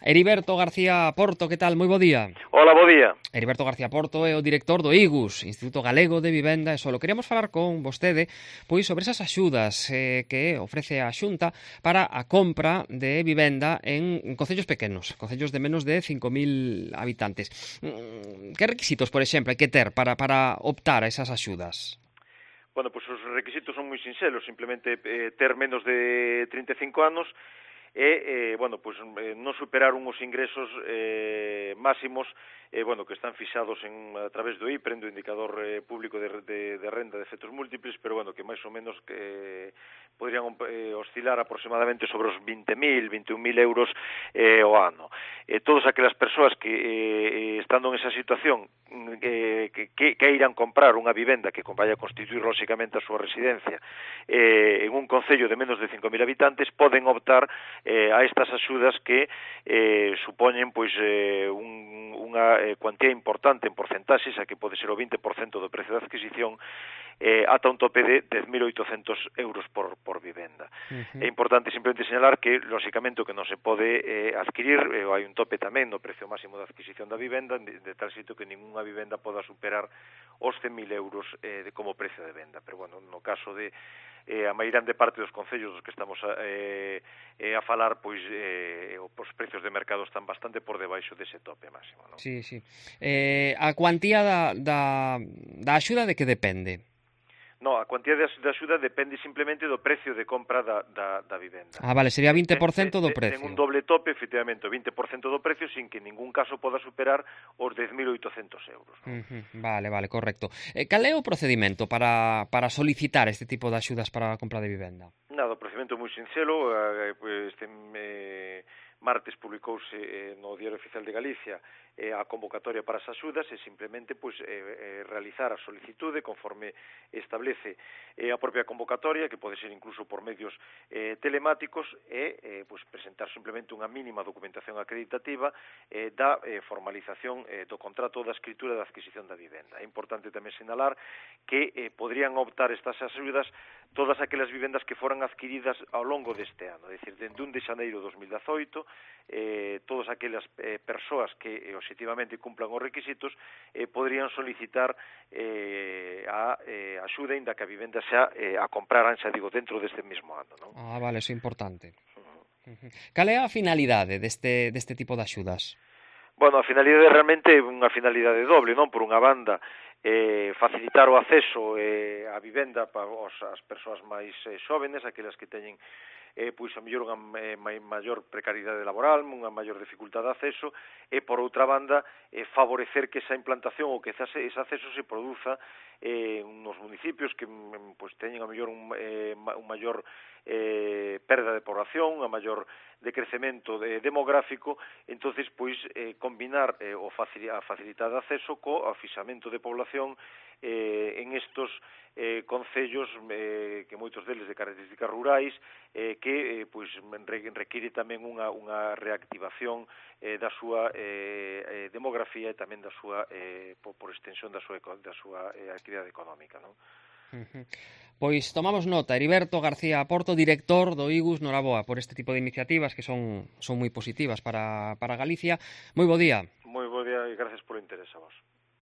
Heriberto García Porto, que tal? Moi bo día. Hola, bo día. Heriberto García Porto é o director do IGUS, Instituto Galego de Vivenda, e só queríamos falar con vostede pois sobre esas axudas que ofrece a Xunta para a compra de vivenda en concellos pequenos, concellos de menos de 5.000 habitantes. Que requisitos, por exemplo, hai que ter para optar a esas axudas? Bueno, pois os requisitos son moi sinxelos, simplemente ter menos de 35 anos e non superar unhos ingresos máximos que están fixados a través do IPREN, do indicador público de renda de efectos múltiples, pero que máis ou menos podrían oscilar aproximadamente sobre os 20.000, 21.000 euros ao ano. Todas aquelas persoas que estando en esa situación que irán comprar unha vivenda que vai a constituir lóxicamente a súa residencia en un concello de menos de 5.000 habitantes poden optar a estas axudas que supoñen unha cuantía importante en porcentaxes, a que pode ser o 20% do precio de adquisición, ata un tope de 10.800 euros por vivenda. É importante simplemente señalar que, lóxicamente, o que non se pode adquirir, hai un tope tamén no precio máximo de adquisición da vivenda, de tal xeito que ninguna vivenda poda superar os 100.000 euros como precio de venda. Pero, no caso de a mairande parte dos concellos dos que estamos a falar, os precios de mercado están bastante por debaixo dese tope máximo, non? Sí. A cuantía da axuda de que depende? No, a cuantía de axuda depende simplemente do precio de compra da vivenda. Vale, sería 20% do precio. Ten un doble tope, efectivamente, o 20% do precio, sin que en ningún caso poda superar os 10.800 euros. Vale, correcto. Cal é o procedimento para solicitar este tipo de axudas para a compra de vivenda? Nada, o procedimento é moi sinxelo. Este martes publicouse no Diario Oficial de Galicia a convocatoria para as axudas e simplemente realizar a solicitude conforme establece a propia convocatoria, que pode ser incluso por medios telemáticos, e presentar simplemente unha mínima documentación acreditativa da formalización do contrato da escritura da adquisición da vivenda. É importante tamén sinalar que podrían optar estas axudas todas aquelas vivendas que foran adquiridas ao longo deste ano, é dicir, dende 1 de xaneiro de 2018, todas aquelas persoas que obxectivamente cumplan os requisitos poderían solicitar a axuda, inda que a vivenda xa a compraran, xa digo, dentro deste mesmo ano, non? Vale, iso é importante. Cal é a finalidade deste tipo de axudas? A finalidade realmente é unha finalidade doble, non? Por unha banda, facilitar o acceso á vivenda para as persoas máis xóvenes, aquelas que teñen a mellor unha maior precariedade laboral, unha maior dificultade de acceso, e por outra banda favorecer que esa implantación ou que ese acceso se produza nos municipios que teñen a mellor un maior perda de población, a maior decrecemento demográfico. Entonces combinar a facilitar de acceso co afixamento de población en estos concellos que moitos deles de características rurais que require tamén unha reactivación da súa demografía e tamén da súa por extensión da súa actividade económica, non? Pois tomamos nota. Heriberto García Porto, director do IGUS, noraboa por este tipo de iniciativas que son moi positivas para Galicia. Moi bo día. Moi bo día e gracias polo interés a vos.